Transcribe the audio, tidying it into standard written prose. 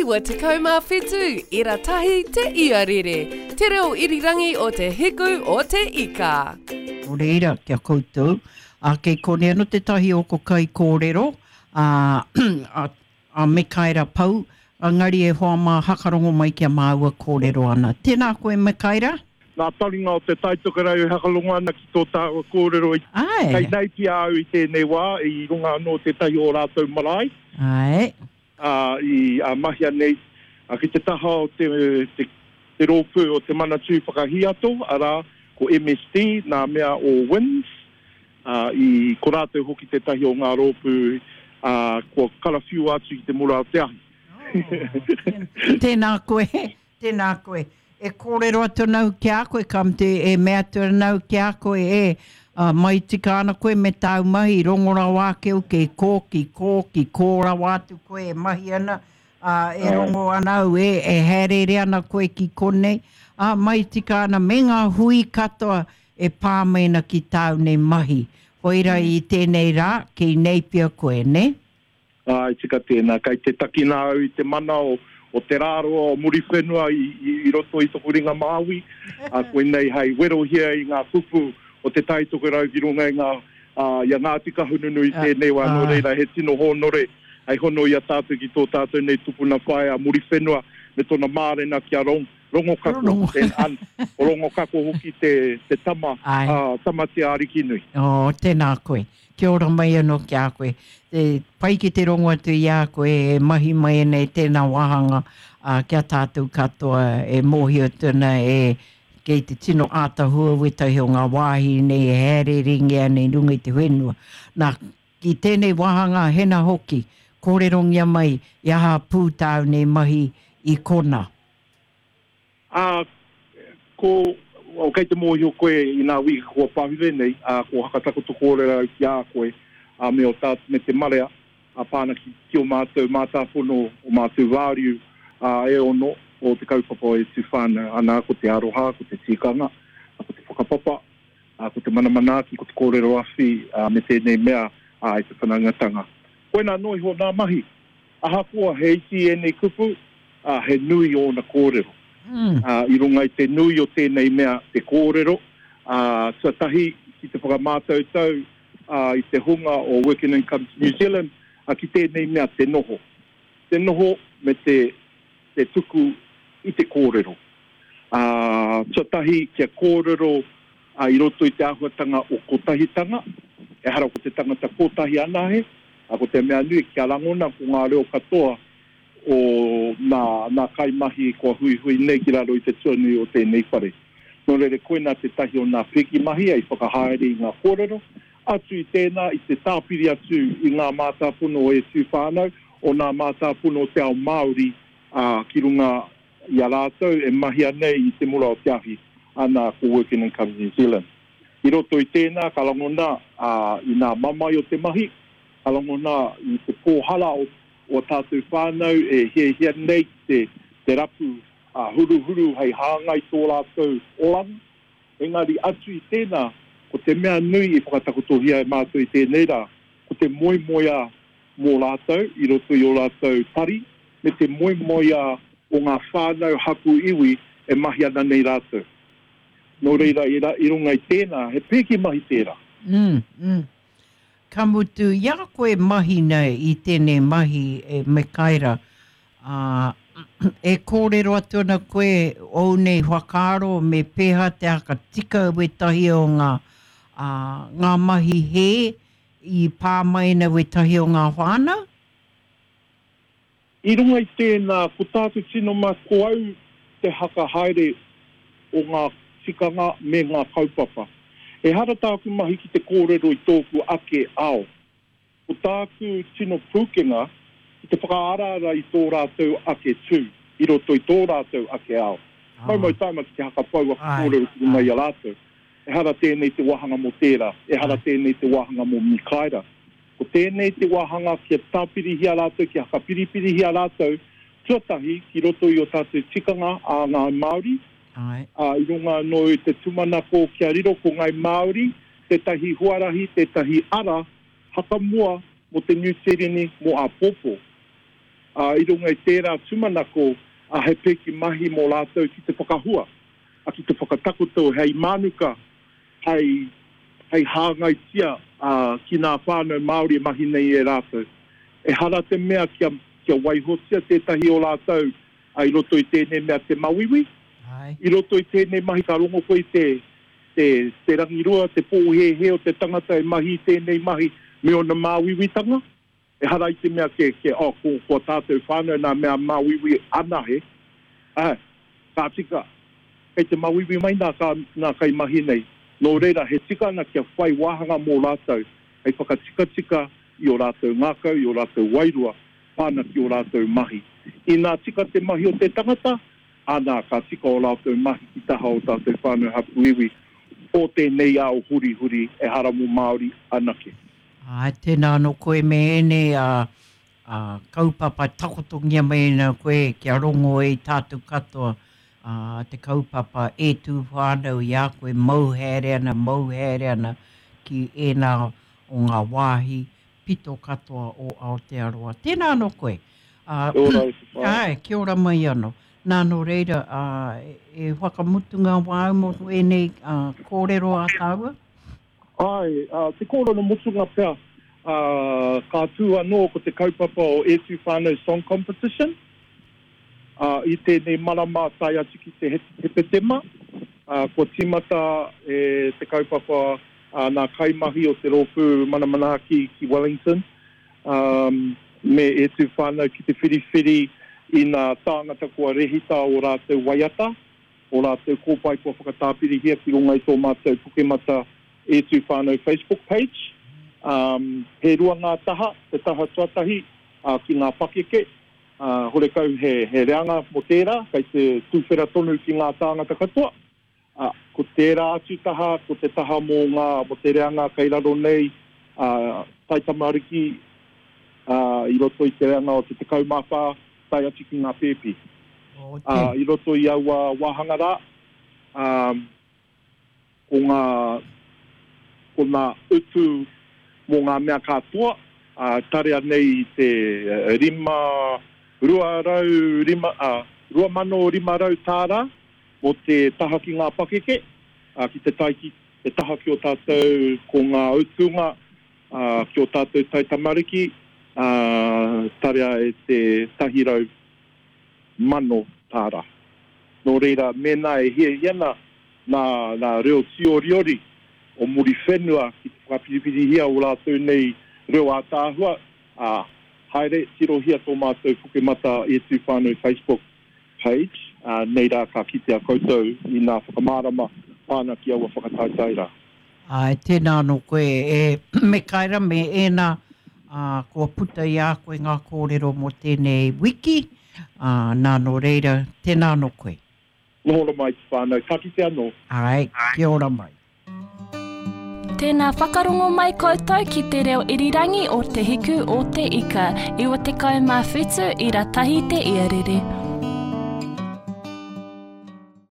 97 ira tahi te iarere, te reo irirangi o te hiku o te ika. Nō reira, ki a koutou, ā, kei konei anō tētahi o ko kaikōrero, ā, a, a Mekaera Pou, engari e hoa mā hakarongo mai ki a māua kōrero ana. Tēnā koe Mekaera. Nā taringa o Te Taitokerau e hakarongo ana ki tō tāua kōrero i Āe. Kei Naipia au i tēnei wā, i runga anō tētahi o rātou marae. Āe. Ā, i ā mahia nei, ā, ki te taha o te, te, te rōpū o Te Manatū Whakahiato, arā, ko MSD, nā mea o WINZ, ā, i, ko rātou hoki tētahi o ngā rōpū, ā, kua karawhiua atu ki te mura o te ahi. Oh, tēnā koe. Tēnā koe. E kōrero atu ana au ki a koe, ka mutu e mea atu ana au ki a koe, e, ā, mai tika ana koe me tāu mahi, rongo rawa ake au kei kō, ki kō, ki kō rawa atu koe e mahi ana, ā, e rongo ana au, e, e hāereere ana koe ki konei, ā, mai tika ana me ngā hui katoa e pā mai ana ki tāu nei mahi. Koira i tēnei rā, kei Napier koe, nē? Āe, tika tēnā. Kei te takina au i te mana o, o te rāroa o Muriwhenua i, i, i roto i toku ringa māui. Ā, koinei hei werohia i ngā kupu o Te Tai Tokerau ki runga i ngā, ā, i a Ngāti Kahungunu i tēnei wā. Nō reira, he tino hōnore hei hono i a tātou ki tō tātou nei tupuna whaea a Muriwhenua me tōna mārena ki a Rong, Rongokako, te, an, Rongokako hoki te, te tama, ā, Tamatea Arikinui. Oh, tēnā koe. Kia ora mai anō ki a koe. Te pai ki te rongo atu i a koe e mahi mai ana i tēnā wāhanga, ā, ki a tātou katoa e mōhio atu ana e kei te tino ātahua wētahi o ngā wāhi nei e hāereerengia ana i runga i te whenua. Nā, ki tēnei wāhanga hena hoki, kōrerongia mai i aha pū tāu nei mahi i konā. Ā, ko, oh, kei te mōhio koe i nā wiki kua pahure nei, ā, kua hakatakoto kōrero au ki a koe, ā, me ō tātou, me te marea, ā, pā ana ki, ki ō mātou mātāpono, ō mātou wāriu, ā, e ono, o te kaupapa o E Tū Whānau, anā, ko te aroha, ko te tikanga, ā, ko te whakapapa, ā, ko te mana manaaki, ko te kōrero awhi, ā, me tēnei mea, ā, i te whanaungatanga. Koinā noa iho nā mahi. Ahakoa he iti ēnei kupu, ā, he nui ōna kōrero. Ā, i runga i te nui o tēnei mea te kōrero, ā, tuatahi ki te whakamātautau, ā, i te hunga o Working Incomes New Zealand, ā, ki tēnei mea te noho. Te noho me te, te tuku i te kōrero. Ā, tuatahi kia kōrero, ā, i roto i te āhuatanga o kotahitanga, ehara ko te tangata kotahi anahe, ā, ko te mea nui kia rangona ko ngā reo katoa o nā, nā kaimahi kua huihui nei ki raro i te tuanui o tēnei whare. Nō reira, koinā tētahi o nā piki mahi hei whakahaere i ngā kōrero, atu i tēnā, i te tāpiri atu i ngā mātāpono o E Tū Whānau, o nā mātāpono o te ao Māori, ā, ki runga i a rātou e mahia nei i te mura o te ahi, ana ko Working Income New Zealand. I roto i tēnā ka rangona ā, i nā mamae o te mahi, ka rangona i te pōhara o o a tātou whānau e hiahia nei ki te te rapu ā huruhuru hei hāngai tō rātou oranga. Engari atu i tēnā, ko te mea nui i whakatakotohia e mātou i tēnei rā, ko te moemoeā mō rātou i roto i ō rātou tari me te moemoeā o ngā whānau hapū iwi e mahi ana nei rātou. Nō reira, i runga i tēnā, he pēke mahi tērā. Mm, mm. Ka mutu, i a koe mahi nei i tēnei mahi e Mekaira, ā, e kōrero atu ana koe ōu nei whakaaro me pēhea te whakatika wētahi o ngā, ā, ngā mahi hē i pā mai ana wētahi o ngā whānau? I runga i tēnā, ko tāku tino mahi, ko au te haka haere o ngā tikanga me ngā kaupapa. Ehara tāku mahi ki te kōrero i tōku ake ao. Ko tāku tino pūkenga ki te whakaaraara i tō rātou ake tū i roto i tō rātou ake ao. Maumau taima ki te haka pou aku kōrero ki runga i a rātou. Ehara tēnei te wāhanga mō tērā, ehara tēnei te wāhanga mō Mikaera. Ko tēnei te wāhanga kia tāpirihia rātou, kia hakapiripirihia rātou, tuatahi ki roto i ō tātou tikanga a Ngāi Māori, ā, i runga anō i te tūmanako kia riro ko Ngāi Māori tētahi huarahi, tētahi ara hakamua mō te Niu Tīreni mō āpōpō. Ā, i runga i tērā tūmanako, ā, he pēke mahi mō rātou ki te whakahua, ā, ki te whakatakoto hei mānuka, hei, hei hāngaitia, ā, ki nā whānau Māori e mahi nei e rātou. Ehara te mea kia, kia waihotia tētahi o rātou, ā, i roto i tēnei mea te mauiui. I roto i tēnei mahi ka rongo koe i te, te, te rangirua, te pōhēhē o te tangata e mahi i tēnei mahi me ōna māuiuitanga. Ehara i te mea ke, ke, oh, ko, ko a tātou whānau nā mea māuiui anahe, āe, ka tika, kei te māuiui mai nā, kā, nā kaimahi nei. Nō reira, he tika ana kia whai wāhanga mō rātou hei whakatikatika i ō rātou ngākau, i ō rātou wairua, pā ana ki ō rātou mahi. Inā tika te mahi o te tangata, ana, ka tika ō rātou mahi ki taha o tātou whānau hapū iwi o tēnei ao hurihuri ehara mō Māori anake. Āe, tēnā anō koe me ēnei ā kaupapa takotongia mai ana koe kia rongo ai tātou katoa ā te kaupapa E Tū Whānau i a koe mau haere ana, mau haere ana ki ēnā o ngā wāhi pito katoa o Aotearoa. Tēnā anō koe. Ā, Kia ora e te whaea. Āe, kia ora mai anō. Nā, nō reira, ā, e whakamutunga wāu mō ēnei ā, kōrero a tāua? Āe, ā, te kōrero mutunga pea, ā, ka tū anō ko te kaupapa o E Tū Whānau Song Competition, ā, i tēnei marama tae atu ki te Hepetema, ā, kua tīmata e te kaupapa ā, nā kaimahi o te rōpū Mana Manaaki ki Wellington, ā, me E Tū Whānau ki te whiriwhiri i nā tāngata kua rehita ō rātou waiata, Ō rātou kōpae kua whakatāpirihia ki runga i tō mātou Pukenmata E Tū Whānau Facebook page. He rua ngā taha, te taha tuatahi ki ngā pakeke, horekau he reanga mō tērā, kei te tuwhera tonu ki ngā tāngata katoa. Ko tērā atu taha, ko te taha mō ngā, mō te reanga kei raro nei, taitamariki i roto i te reanga o te 14, tae atu ki ngā pēpi. Ā, i roto i aua wāhanga rā, ā, ko ngā, ko ngā utu mō ngā mea katoa, ā, tarea nei i te 5, 205, ā, 2,500 tāra mō te taha ki ngā pakeke, ā, ki te tae ki te taha ki ō tātou, ko ngā utunga, ā, ki ō tātou taitamariki, ā, tarea e te 100,000 tāra. Nō reira, mēnā e hiahia ana nā, nā reo tīoriori o Muriwhenua ki te whakapiripirihia ō rātou nei reo ātaahua, ā, haere, tirohia tō mātou Pukenmata E Tū Whānau Facebook page, ā, nei rā ka kitea koutou i nā whakamārama pā ana ki aua whakataetae rā. Āe, tēnā anō koe e Mekaera me ēnā, ā, kua puta i a koe ngā kōrero mō tēnei wiki, ā, nā nō reira, tēnā anō koe. Noho ora mai te whānau, ka kite anō. Āe, kia ora mai. Tēnā whakarongo mai koutou ki te reo irirangi o Te Hiku o Te Ika, 97 ira tahi te iarere.